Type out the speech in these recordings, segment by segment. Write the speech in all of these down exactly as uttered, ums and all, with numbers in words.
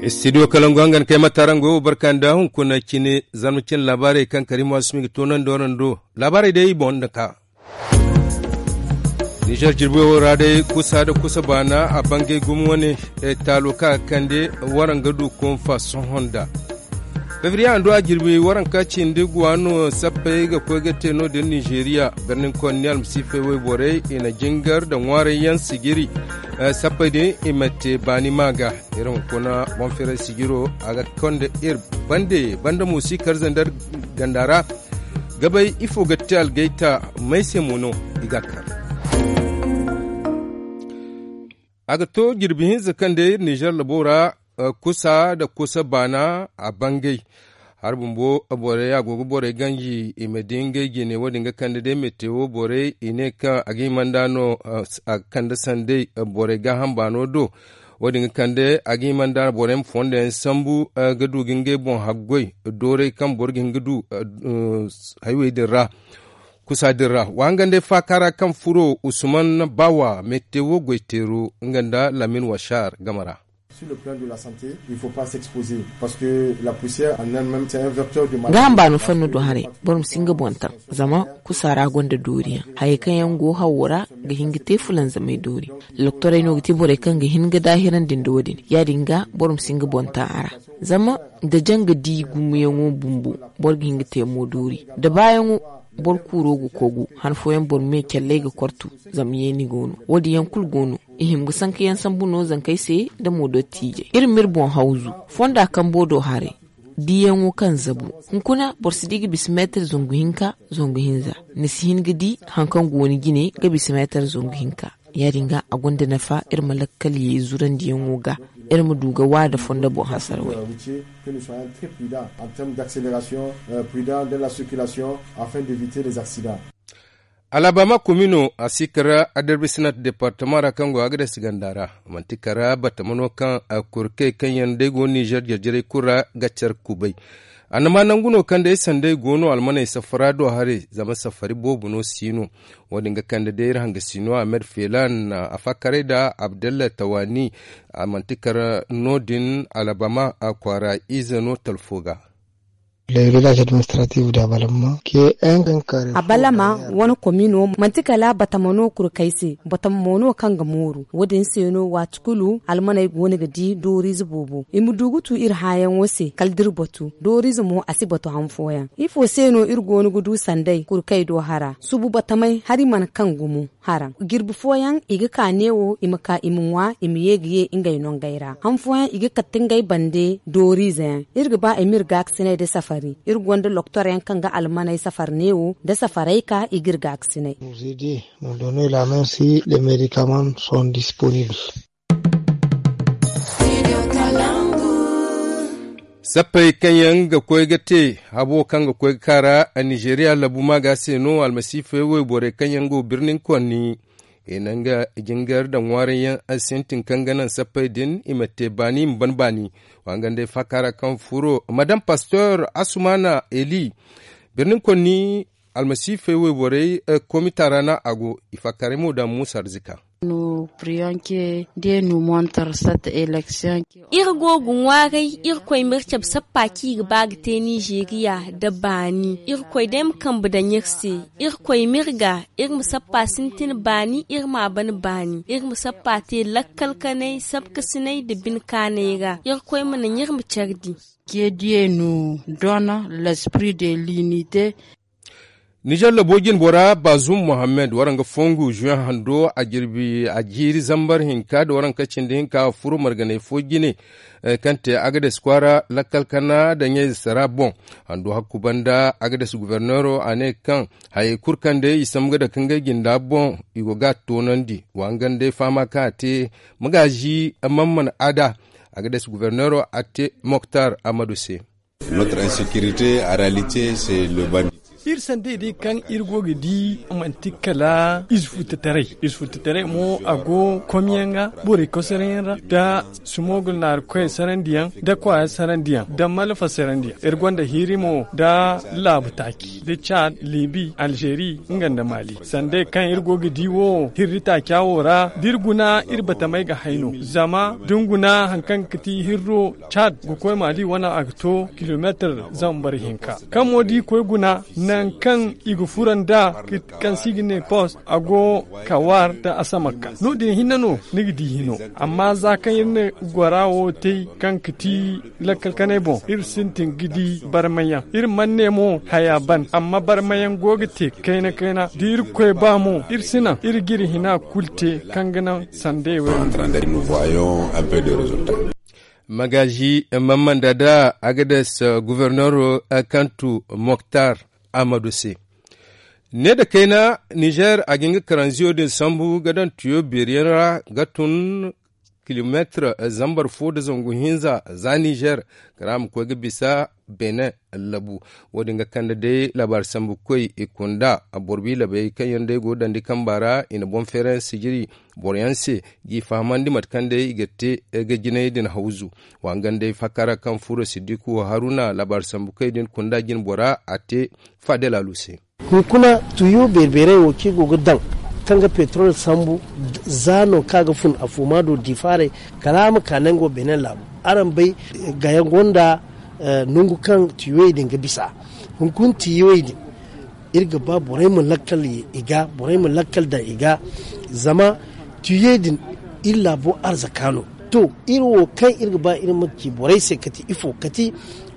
Studio kalangu hangan kay ma taarango wo barka nda hunkuna cine zarma cine laabaarey kaŋ karimu asumi ga toonandi warando. Laabaarey day i boŋ nda ka nizer jirbi wo ra day kusa nda kusa baana a bangay gumo wane taalo kaŋ a ga kande waraŋ ga du konfa sohõ nda. Fevriye a ndu a jirbi waranka cindi guwa no sappey ga koy ga te no- din nizeriya birnin konni almasiifey wayborey i na jingar nda ŋwaarayyaŋ sijiri. Sappey din i ma te baani ma ga iri hunkuna boŋ firay sijiro a ga konda iri bande banda mo si kar zandar ganda ra. Ga bay ifo ga te algayta may se mo no i ga kar. A ga to jirbi hinza kaŋ day iri nizer labo ra kusa nda kusa baana a bangay. Hari bumbo borey a go ga borey ganji i ma di ngey jine wo- din ga kande day mete wo borey i ne kaŋ a ga hima nd'a no a ga kande sanday borey gaaham baano do. Wo- din ga kande a ga hima nd'a borey ma fondo yaŋ sambu ga du ga ngey boŋ haggoy dooray kaŋ boro ga hin ga du haywey din ra. Kusa din ra wa hangan day faaka ra kaŋ furo usman baawa mete wo goyteero nga nda lamin washar game ra. Gaaham baano fanno do haray boro ma si nga boŋ taŋ. Zama kusa ra gonda dooriyaŋ hayey kaŋ yaŋ go hawo ra ga hin ga te fulanzamey doori. Doktorey no ga ti borey kaŋ ga hin ga daahirandi nda wo- din ya- din ga boro ma si nga boŋ taŋ a ra. Zama nda janga di gumoyaŋo bumbo boro ga hin ga te mo doori nda baayaŋo boro kuuro ga kogu han fooyaŋ boro me calley ga kortu. Zama yeeni go no wo- din yaŋ kulu go no. I hima ga sanka yaŋ sambu no zankey se nda mo dottiijey iri ma iri boŋ hawzu fonda kambo do haray. Diyaŋo kaŋ zabu hunkuna boro si di ga bisa meetar zangu hinka zangu hinza. Ni si hin ga di hari kaŋ go ni jine ga bisa meetar zangu hinka. Ya- din ga a gonda nafa iri ma lakkal ye zurandiyaŋo ga iri ma du ga wa nda fondo boŋ hasara way. Alabama komino a si kar adarbisinat departama ra kaŋ go a ga dasi ganda ra. Manti kar batama no kaŋ kurkey kaŋ yaŋ day go nizer jarjaray kulu ra ga care kubay. Annama nangu no kaŋ day sanday go no almaney safara do haray zama safari boobo no si no. Wo- din ga kande day iri hangasi no ahmed felan a fakkaray nda abdalla tawani. A manti kar no- din alabama kwaara ize no talfo ga. Abalama wane komino manti kala batama no kurkey se batama mo no kaŋ ga mooru wo- din se no waati kulu almaney go no ga di dooriize boobo i ma du ga tu iri hããyaŋo se kala da iri batu dooriize mo a si batu han fooyaŋ. Ifo se no iri go no ga du sanday kurkey do hara subu batamey hari mana kaŋ gumo haraŋ jirbi fooyaŋ i ga ka neewo i ma ka i ma ŋwa i ma ye ga ye ngey nongey ra han fooyaŋ i ga kate ngey bande dooriize yaŋ. Iri ga ba i ma iri gaakasiney nda safari iri gonda loktoryaŋ kaŋ ga almaney safari neewo nda safarey ka i ga iri gaakasiney. Sappey kaŋ yaŋ ga koy ga te habo kaŋ ga koy ga kaara a nizeriya labu maaga se no almasiifey wayborey kaŋ yaŋ go birnin konni. I na nga jingar nda ŋwaarayyaŋ sintin kaŋ ga naŋ sappey din i ma te baani i ma ban baani. Wa nga nd'ey faaka ra kaŋ furo madam pastor asumana eli birnin konni almasiifey wayborey komita ra no a go i faakaaray mo daŋ muusa arzika. Iri go ga ŋwaaray irkoy ma iri cabe sappa kaŋ i ga ba ga te nizeriya nda baani irkoy day ma kambe daŋ iri se. Irkoy ma iri ga iri ma sappa sintin baani iri m'a ban baani iri ma sappa te lakkal kanay sabkasinay nda bine kaanay ra irkoy ma naŋ iri ma care di. Kediyey no dona lespri de linite. Nizer labo jinbora bazum mohammed waraŋ ga fongu juin hando a jirbi a jiiri zambar hinka nda waraŋ ka cindi hinka a furo marganay fo jine. Kaŋ te agades kwaara lakkal kana nda ɲayze sara boŋ hando hakku banda agades guberneero a ne kaŋ hayey kulu kaŋ day i sambu ga dake ngey jinda boŋ i go ga a toonandi wa nga nda ay fahama kaŋ a te. Magaazi mamman ada agades guberneero a te moktar amadu se. Notre insécurité en réalité c'est le banditisme. Iri sandey day kaŋ iri go ga di manti kala ize futtataray ize futtataray mo a go komyaŋ ga borey kosarayaŋ ra nda sumogul naari koyey sarandiyaŋ nda kwaaya sarandiyaŋ nda malfa sarandiyaŋ iri gonda hiiri mo nda laabu taaci nda caad libi alzeeri nga nda maali sandey kaŋ iri go ga di wo hirri taaca wo ra da iri guna iri batamey ga hay no zama da ni guna hari kaŋ ga ti hirro caad ga koy maali wane a ga to kilomeetir zambar hinka kaŋ mo da iri koy guna nangu kaŋ i ga furo nd'a kaŋ se i ga ne post a go kawaar nda asamakka no- din hinne no ni ga di hino amma za kaŋ iri na gora wo te kaŋ ga ti lakkal kanay boŋ iri sintin ga di barmayaŋ iri mana ne mo haya ban amma barmayaŋ go ga te kayna kayna da irkoy ba mo iri si naŋ iri ga iri hina kulu te kaŋ ga naŋ sandey wo. Magaazi, mammanda da agades guverneero kaŋ tu moktar amadu se. Ne nda kayna nizer a ga hin ga karanziyo din sambu ga daŋ tuyo beeriyaŋ ra ga tun kilomeetir zambar fo nda zangu hinza za nizer kala a ma koy ga bisa benin labu. Wo- din ga kande day laabaari sambukoy i kunda boro biilabey kaŋ yaŋ day go ga daŋ di kamba ra i na boŋ feerayaŋ sijiri boroyaŋ se g'i fahamandi mate kaŋ day i ga te ga jinay din hawzu. Wa hangan day fakara kaŋ furo siddiku haruna laabaari sambukoy din kunda jinbora a te fadel alu se. Hunkuna tuyo beeri-beerey wo kaŋ i go ga daŋ kaŋ ga petrol sambu za no kaŋ a ga fun a fuma do difaarey kala a ma ka nango benin laabu. Araŋ bay gaya gonda nangu kaŋ tiyoyey din ga bisa. Hunkuna tiyoyey din iri ga ba borey ma lakkal i ga borey ma lakkal daŋ i ga zama tiyoyey din iri laabo arzaka no. To iri wo kaŋ iri ga ba iri ma ci borey se kati ifo kati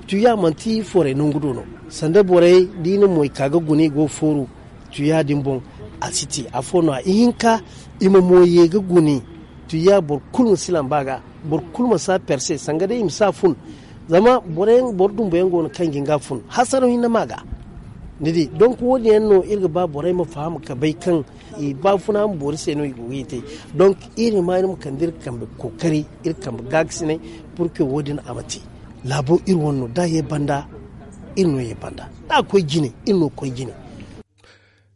tuya manti foray nangu do no. Sanda borey da i na moy ka ga guna i go ga fooru tuya din boŋ. A si te afo no- ya ihinka i ma mo ye ga guna tuya boro kulu ma si lamba ga boro kulu ma si a perse sanga day i ma si a fun. Zama boro dumbuyaŋ go no kaŋ ga hin ga a fun hasaraw hinne ma ga. Ni di donk wo- din yaŋ no iri ga ba borey ma faham ka bay kaŋ i baafuna ma boori se no i go ga i te. Donk iri ma iri ma kande iri kambe kookari iri kambe gaakasinay pur ke wo- din a ma te. Laabo iri wane no da a ye banda iri no ye banda da a koy jine iri no koy jine.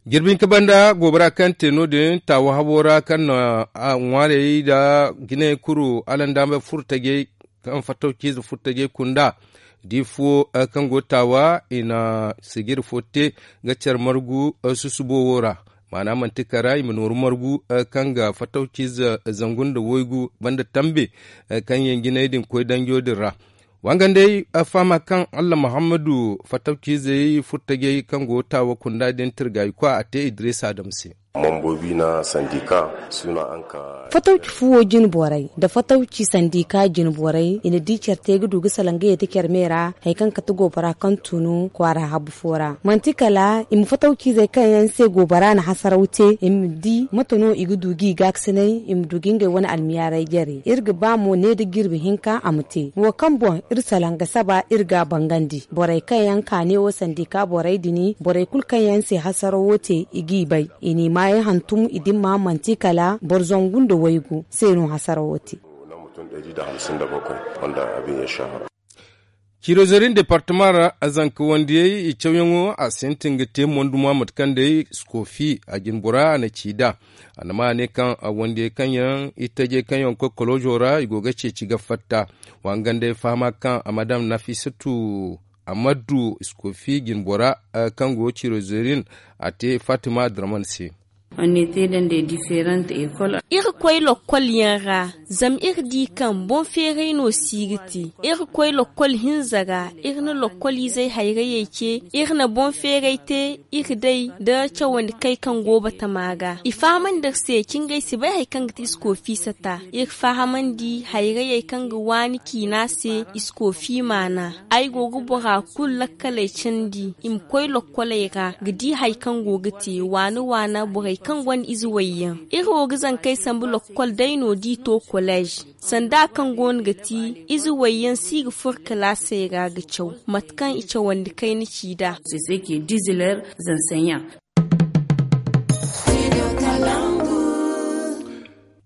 Jirbi hinka banda goobara kaŋ te no- din taawa habo ra kaŋ na ŋwaarey nda jinay kuru alandaamey furo tajey kaŋ fattawciize furo tajey kunda. Da i fuwo kaŋ go taawa i na sijiri fo te ga care margu susubo wo ra. Maana manti kara i ma nooru margu kaŋ ga fattawciize zangu nda waygu banda tambe kaŋ yaŋ jinay din koy danjo din ra. Wa hangan day fahama kaŋ allah muhammadu fattawciizey furo tajey kaŋ go taawa kunda din tirgaayi kwa a te idiriisa adama se. Fatawci fuwo jine borey nda fatawci sandika jine borey i na di care te ga du ga salaŋ ga yeeti care me ra hari kaŋ kate goobara kaŋ tunu kwaara habu fo ra manti kala i ma fatawciizey kaŋ yaŋ se goobara na hasaraw te i ma di mate no i ga du ga i gaakasinay i ma du ga ngey wane almiyaaray jare iri ga ba mo ne da jirbi hinka a ma te wo kaŋ boŋ iri salaŋ ga saba iri ga a bangandi borey kaŋ yaŋ kaane wo sandika borey din borey kulu kaŋ yaŋ se hasarawo te i g'i bay i n'i maayaŋ hantum i dimma manti kala boro zangu nda waygu se no hasarawo te. Ciirozerin departama ra zanka wandiyey i cawyaŋo a sintin ga te monduma mate kaŋ day skoofi a jinbora a na ci nd'a. A na ma ne kaŋ wandiyey kaŋ yaŋ i tajey kaŋ yaŋ koy koloozo ra i go ga ceeci ga fatta. Wa hangan day fahama kaŋ a ma daŋ nafisatu a ma du iskofi jinbora kaŋ go cirozerin a te fatima draman se. Iri koy lokkol yaŋ ra zama iri di kaŋ boŋ feeray no si ga te. Iri koy lokkol hinza ra iri na lokkol izey hayrayey ce iri na boŋ feeray te. Iri day nda cawandi kay kaŋ go batama ga i fahamandi iri se cingay si bay hari kaŋ ga ti iskofi sata iri fahamandi hayrayey kaŋ ga waani ciina se iskofi maana. Ay go ga bora kulu lakkaley candi i ma koy lokkoley ra ga di hari kaŋ go ga te waana waana borey kaŋ gonda ize wayyaŋ. Iri wo ga zankey sambu lokkol day no da i to kolej sanda kaŋ go no ga ti ize wayyaŋ si ga furo kalaasey ra ga caw mate kaŋ i cawandi kayna ci nd'a.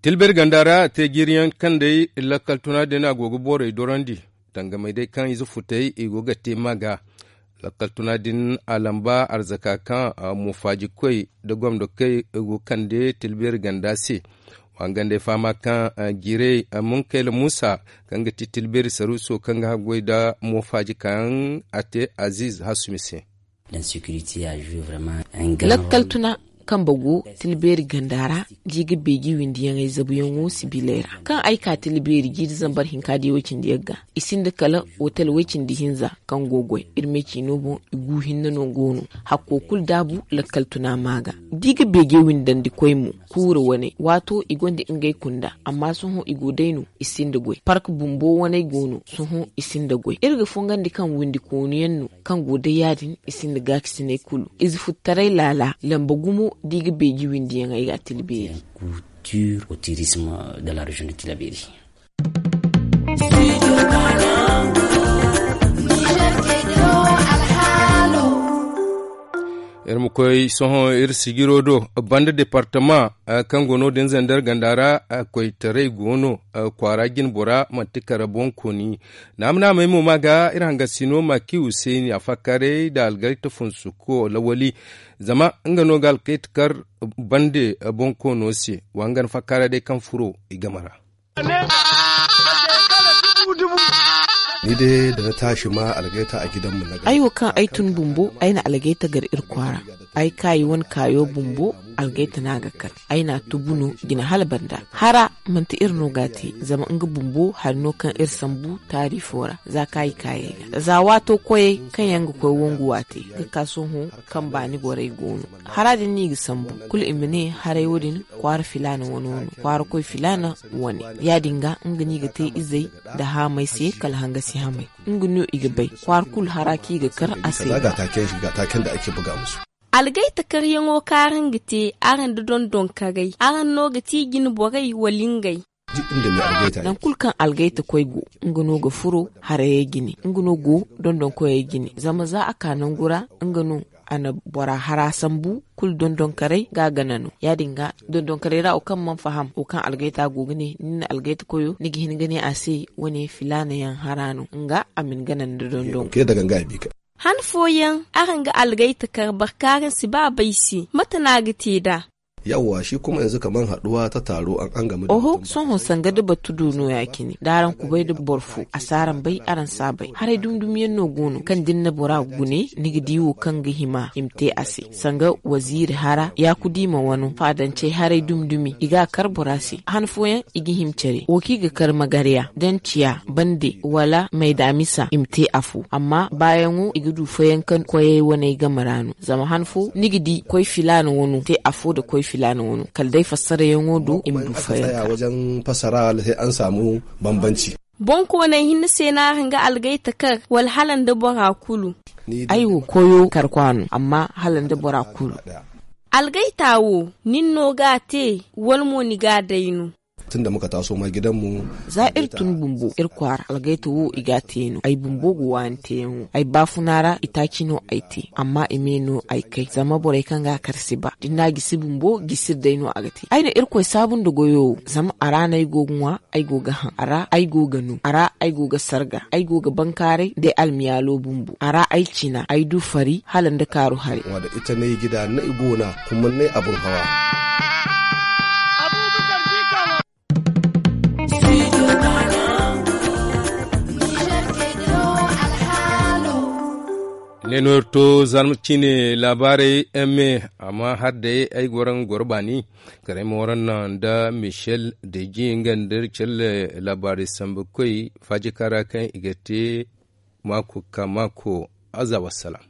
Tilbir ganda ra a te jiiriyaŋ kaŋ day lakkal tuna din a go ga borey dorandi dangamey day kaŋ ize futey i go ga te ma ga. Lakkal tuna din a lamba arzaka kaŋ moofaajikoy nda gomdo kay go kande tilbeeri ganda se. Wa nga nda ay fahama kaŋ jiirey munkayla muusa kaŋ ga ti tilbeeri saruuso kaŋ ga haggoy nda moofaaji kaŋ a te aziiz hasumi se. Lakkal tuna kambe go tilbeeri ganda ra, da i ga beeji windiyaŋey zabuyaŋo sibiley ra kaŋ ay ka tilbeeri jiiri zambar hinka diya way-cindi yaŋ ga. I sinda kala otel way-cindi hinza kaŋ go goy iri me ciino boŋ. I gu hinne no go no. Hakko kulu daabu lakkal tuna ma ga. Da i ga beeje windandikoy mo, kuura wane waato i gonda ngey kunda. Amma sohõ i go day no, i sinda goy park bumbo waney go no. Sohõ i sinda goy iri ga fongandi kaŋ windi koonu yaŋ no kaŋ go day ya- din. I sinda gaakasiney kulu ize futtaray laala lamba gumo da i ga beeji windiyaŋey ga tilbeeri. Iri ma koy sohõ iri sijiro do banda departama kaŋ go no din zandar ganda ra. Koytaray go no kwaara jinbora manti kara boŋ kooni. Naama naamey mo ma ga iri hangasino ma ki huseeni a fakkaaray nda algayta funsuko lawali. Zama nga no ga alkayta kar bande boŋ koono se. Wa nga ni fakkaaray day kaŋ furo i game ra. Ni day da na taasi ma algayta a gidan mu na gari. Ay wo kaŋ ay tun bumbo ay na algayta gar iri kwaara. Ay kaayi wane kaayo bumbo algayta no a ga kar. Ay na a tubu no jina hala banda hara. Manti iri no ga a te zama nga bumbo hari no kaŋ iri sambu taari fo ra. Za kaayi kaayey ga za waato koyey kaŋ yaŋ ga koy wangu waate ga ka sohõ kaŋ baani borey go no. Hara din no i ga sambu kulu i ma ne haray wo- din kwaara filaana wane wo no kwaara koy filaana wane. Ya- din ga nga no i ga te izey nda haamey se kala hangasi hamey. Nga no i ga bay kwaara kulu hara kaŋ i ga kar a se. Algayta karyaŋo kaŋ araŋ ga te araŋ nda dondonkarey araŋ no ga ti jine borey wala ngey? Nangu kulu kaŋ algayta koy go nga no ga furo harayey jine nga no go dondonkoyey jine zama za a ka nangu ra nga no a na bora hara sambu kulu dondonkarey ga a gana no. Ya- din ga dondonkarey ra wo kaŋ mana faham wo kaŋ algayta go ga ne ni na algayta koyo ni ga hin ga ne a se wane filaana yaŋ hara no nga a ma ni gana nda dondon. Han fooyaŋ araŋ ga algayta kar boro kaŋ araŋ si ba bay se mate no a ga te nd'a? Yawwa shi kuma yanzu kaman haɗuwa ta taro an an game da oho sohõ sanga da batu du no ya- cine da araŋ kubay da boro fo a si araŋ bay araŋ si a bay haray dumdumi yaŋ no go no kaŋ da ni na bora gune ni ga di wo kaŋ ga hima i ma te a se. Sanga waziiri hara yaakudima wano faadancey haray dumdumi i ga a kar bora se han fooyaŋ i ga hima care wo kaŋ i ga kar magarya da ni ciya bande wala maydamisa i ma te afo amma baayaŋo i ga du fayanka koyey waney game ra no. Zama han fo ni ga di koy filaana wano te afo nda koy filaana wano kala day fassarayaŋo do i ma du fayanka. Boŋkooney hinne se no araŋ ga algayta kar wala hala nda bora kulu? Ay wo koyo karkwa no amma hala nda bora kulu. Algayta wo nin no ga a te wala mo ni ga a day no? Za iri tun bumbo iri kwaara algayta wo i ga a te no ay bumbo ga waani teeyaŋo ay baafuna ra itaaci no ay te amma i me no ay kay zama borey kaŋ ga a kar si ba da ni n'a gisi bumbo gisiri day no a ga te. Ay na irkoy saabu nda goyo wo zama a ra no ay go ga ŋwa ay go ga haŋ a ra ay go ga no a ra ay go ga sarga ay go ga bankaaray day almiyaalo bumbo a ra ay cina ay du fari hala nda kaaru haray. Ita ne gida na i gona kuma ne abun hawa. Ne no iri to zarma cine laabaarey eme amma har day ay goro nga goro baani kala ay ma waranna nda michel deji nga nda iri celle laabaarey sambu koy faajika ra kaŋ i ga te maako ka maako. Aza wassalam.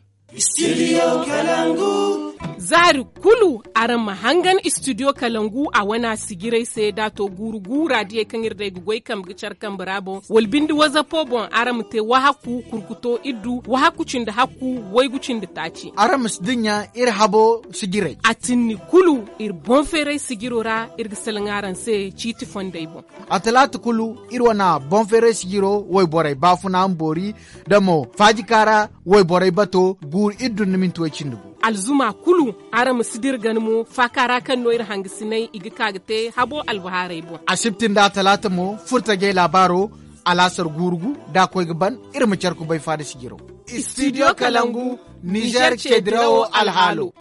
Zaari kulu araŋ ma hangan istudiyo kalangu a wana sijiray se da a to guuru guura diyey kaŋ iri day ga goy kambe ga care kambe ra boŋ wala binde wazapo boŋ araŋ ma te wahakku kurkuto iddu wahakku cindi hakku waygu cindi taaci. Araŋ ma si dinya iri habo sijiray a tinni kulu iri boŋ feeray sijiro ra iri ga salaŋ araŋ se ciiti fondey boŋ. A talaata kulu iri wana boŋ feeray sijiro wayborey baafuna ma boori da mo faajika ra wayborey bato guuru iri dun ni minti way cindi gu. Alzuma kulu araŋ ma si dira gana mo faaka ra kaŋ no iri hangasinay i ga ka ga te habo albahaarey boŋ. Asibti nda talaata mo furtajey laabaaro alaasar guuru gu da a koy ga ban iri ma care kubay faada sijiro. Studio Kalangu, Niger cedirawo alhaalo.